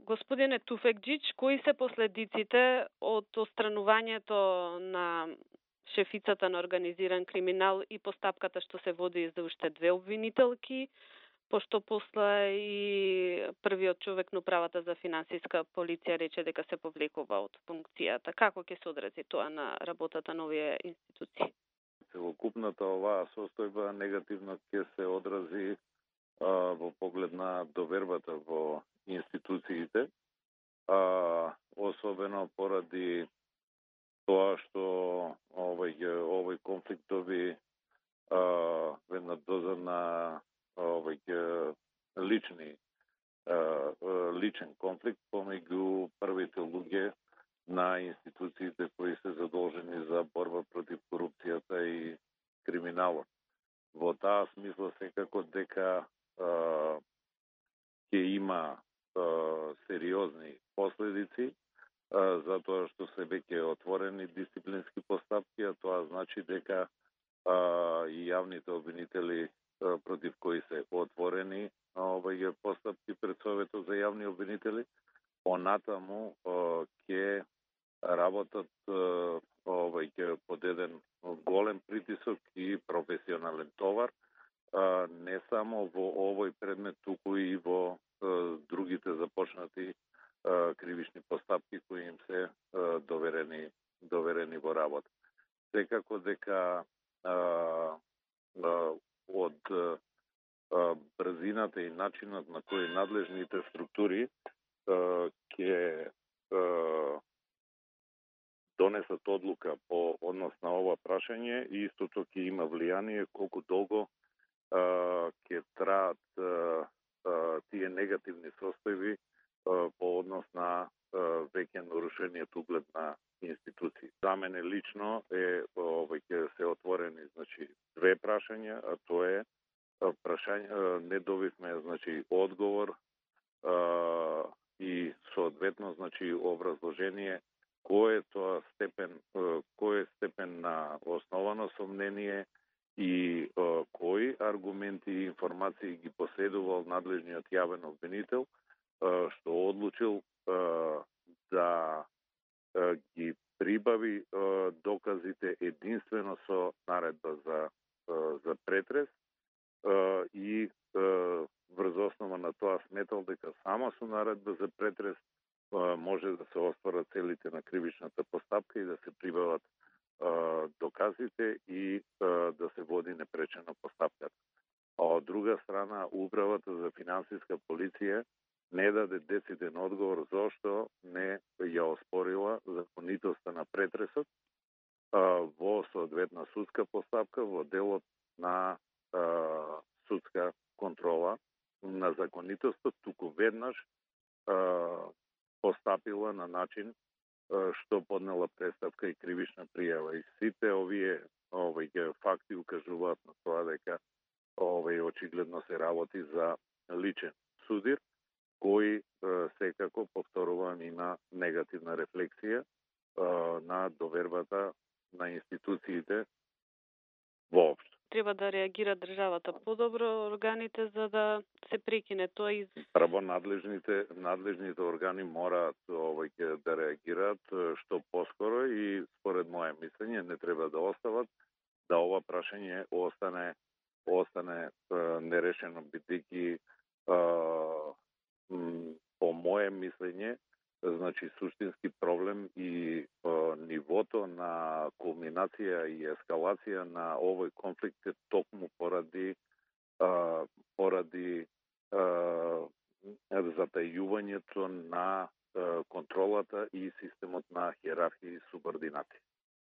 Господине Туфекџич, кои се последиците од отстранувањето на шефицата на организиран криминал и постапката што се води за уште две обвинителки, пошто после и првиот човек на управата за финансиска полиција рече дека се повлекува од функцијата? Како ќе се одрази тоа на работата на овие институции? Целокупната оваа состојба негативно ќе се одрази во поглед на довербата во институциите, особено поради тоа што овој конфликт доби една доза на личен конфликт помеѓу првите луѓе на институциите кои се задолжени за борба против корупцијата и криминалот. Во таа смисла секако дека ќе има сериозни последици, затоа што се веќе отворени дисциплински постапки, а тоа значи дека и јавните обвинители против кои се отворени постапки пред Советот за јавни обвинители, понатаму ќе работат под еден голем притисок и професионален товар, не само во овој предмет, туку и во другите започнати кривични постапки кои им се доверени во работа. Секако дека од брзината и начинот на кој надлежните структури ќе донесат одлука по однос на ова прашање и истото ќе има влијание колку долго ќе траат тие негативни состојби по однос на веќе нарушениот углед на институции. За мене лично ќе се отворени две прашања, а тоа е прашање, не добивме одговор и соодветно образложение кој е степен на основано сомнение и кои аргументи и информации ги поседувал надлежниот јавен обвинител, што одлучил да ги прибави доказите единствено со наредба за претрес и врз основа на тоа сметал дека само со наредба за претрес може да се остварат целите на кривичната постапка и да се прибават доказите и да се води непречено постапката. А од друга страна, Управата за финансиска полиција не даде дециден одговор зошто не ја оспорила законитоста на претресот во соодветна судска постапка во делот на судска контрола на законитостот, туку веднаш постапила на начин што поднела престапка и кривична пријава. И сите овие факти укажуваат на тоа дека очигледно се работи за личен судир, кој секако, повторувам, има негативна рефлексија на довербата на институциите воопшто. Треба да реагира државата подобро, органите, за да се прекине тоа и прво надлежните органи мораат да реагираат што поскоро и според моје мислење не треба да остават да ова прашање остане нерешено, бидејќи по моје мислење суштински проблем и нивото на кулминација и ескалација на овој конфликт е токму поради затајувањето на контролата и системот на хиерархија и субординација.